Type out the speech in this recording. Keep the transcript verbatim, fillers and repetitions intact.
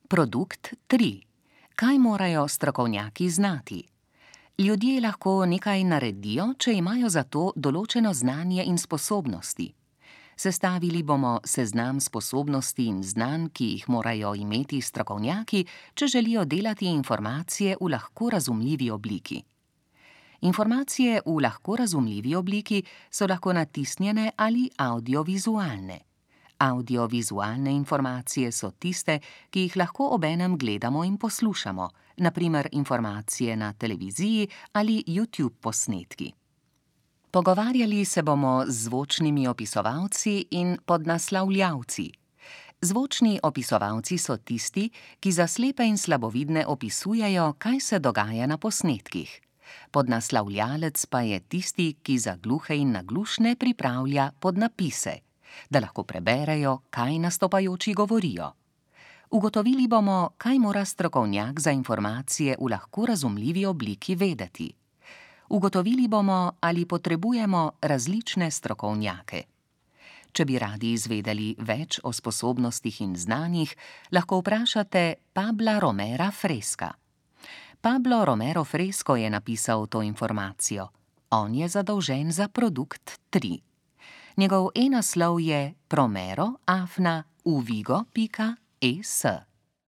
Produkt tri. Kaj morajo strokovnjaki znati? Ljudje lahko nekaj naredijo, če imajo za to določeno znanje in sposobnosti. Sestavili bomo seznam sposobnosti in znanj, ki jih morajo imeti strokovnjaki, če želijo delati informacije v lahko razumljivi obliki. Informacije v lahko razumljivi obliki so lahko natisnjene ali avdiovizualne. Avdiovizualne informacije so tiste, ki jih lahko obenem gledamo in poslušamo, na primer informacije na televiziji ali YouTube posnetki. Pogovarjali se bomo z zvočnimi opisovalci in podnaslavljavci. Zvočni opisovalci so tisti, ki za slepe in slabovidne opisujejo, kaj se dogaja na posnetkih. Podnaslavljalec pa je tisti, ki za gluhe in naglušne pripravlja podnapise, da lahko preberejo, kaj nastopajoči govorijo. Ugotovili bomo, kaj mora strokovnjak za informacije v lahko razumljivi obliki vedeti. Ugotovili bomo, ali potrebujemo različne strokovnjake. Če bi radi izvedeli več o sposobnostih in znanjih, lahko vprašate Pabla Romera Fresca. Pablo Romero Fresco je napisal to informacijo. On je zadolžen za produkt tri. Njegov e-naslov je promero afna uvigo pika es.